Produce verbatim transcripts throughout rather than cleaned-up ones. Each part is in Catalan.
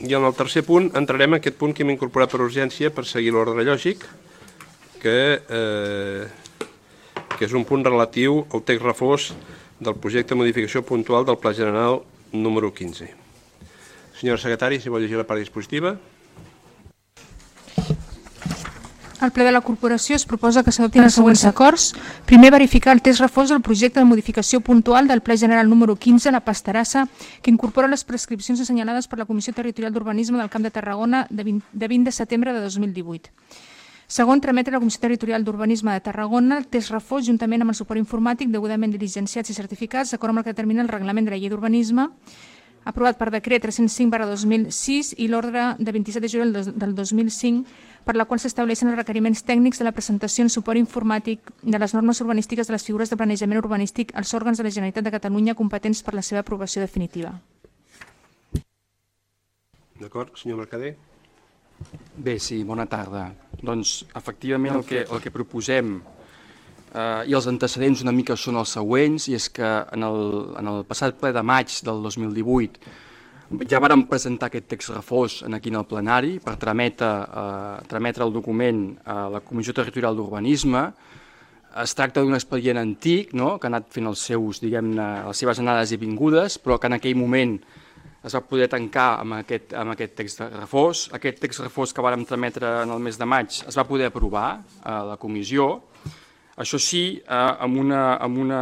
I en el tercer punt entrarem en aquest punt que hem incorporat per urgència per seguir l'ordre lògic, que, eh, que és un punt relatiu al text refós del projecte de modificació puntual del Pla General número quinze. Senyora secretària, si vol llegir la part dispositiva. Al ple de la corporació es proposa que s'adoptin els següents acords. Primer, verificar el text refós del projecte de modificació puntual del Pla General número quinze, la Pastarassa, que incorpora les prescripcions assenyalades per la Comissió Territorial d'Urbanisme del Camp de Tarragona de vint de setembre de dos mil divuit. Segon, trametre a la Comissió Territorial d'Urbanisme de Tarragona el text refós juntament amb el suport informàtic degudament diligenciats i certificats d'acord amb el que determina el reglament de la llei d'urbanisme aprovat per decret tres-cents cinc barra dos mil sis i l'ordre de vint-i-set de juliol del dos mil cinc, per la qual s'estableixen els requeriments tècnics de la presentació en suport informàtic de les normes urbanístiques de les figures de planejament urbanístic als òrgans de la Generalitat de Catalunya competents per la seva aprovació definitiva. D'acord, senyor Mercader. Bé, sí, bona tarda. Doncs, efectivament, el que, el que proposem eh, i els antecedents una mica són els següents, i és que en el, en el passat ple de maig del dos mil divuit ja vàrem presentar aquest text refós aquí en el plenari per trametre, eh, trametre el document a la Comissió Territorial d'Urbanisme. Es tracta d'un expedient antic, no?, que ha anat fent els seus, diguem-ne, les seves anades i vingudes, però que en aquell moment es va poder tancar amb aquest, amb aquest text refós. Aquest text refós que vàrem trametre en el mes de maig es va poder aprovar a la comissió. Això sí, eh, amb, una, amb, una,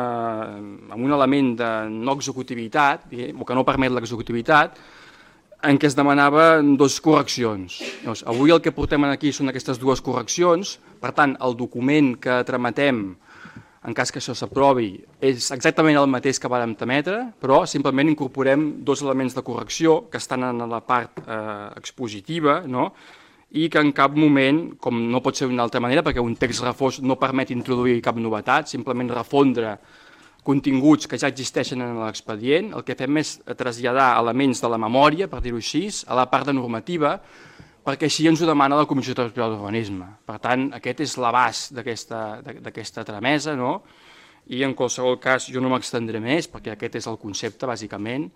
amb un element de no executivitat, o que no permet l'executivitat, en què es demanaven dues correccions. Llavors, avui el que portem aquí són aquestes dues correccions, per tant, el document que trametem, en cas que això s'aprovi, és exactament el mateix que vàrem trametre, però simplement incorporem dos elements de correcció que estan en la part eh, expositiva, no?, i que en cap moment, com no pot ser d'una altra manera, perquè un text refós no permet introduir cap novetat, simplement refondre continguts que ja existeixen en l'expedient, el que fem és traslladar elements de la memòria, per dir-ho així, a la part de normativa, perquè així ens ho demana la Comissió Territorial d'Urbanisme. Per tant, aquest és l'abast d'aquesta tramesa, no? I en qualsevol cas jo no m'extendré més, perquè aquest és el concepte, bàsicament,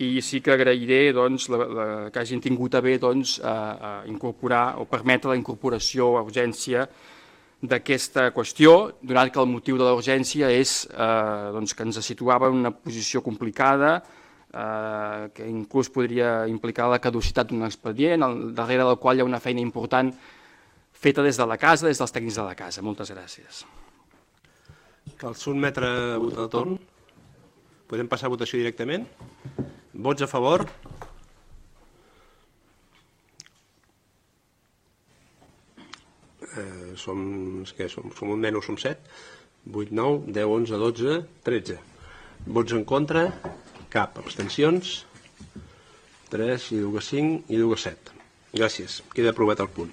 i sí que agrairé doncs, la, la, que hagin tingut a bé doncs, a, a incorporar o permetre la incorporació a urgència d'aquesta qüestió, donat que el motiu de la urgència és eh, doncs, que ens situava en una posició complicada, eh, que inclús podria implicar la caducitat d'un expedient, al darrere del qual hi ha una feina important feta des de la casa, des dels tècnics de la casa. Moltes gràcies. Cal sotmetre a votació de torn. Podem passar a votació directament. Vots a favor? Eh, som, què som? Som un nen o som set? vuit, nou, deu, onze, dotze, tretze. Vots en contra? Cap. Abstencions? tres, i diu que cinc, i diu que set. Gràcies. Queda aprovat el punt.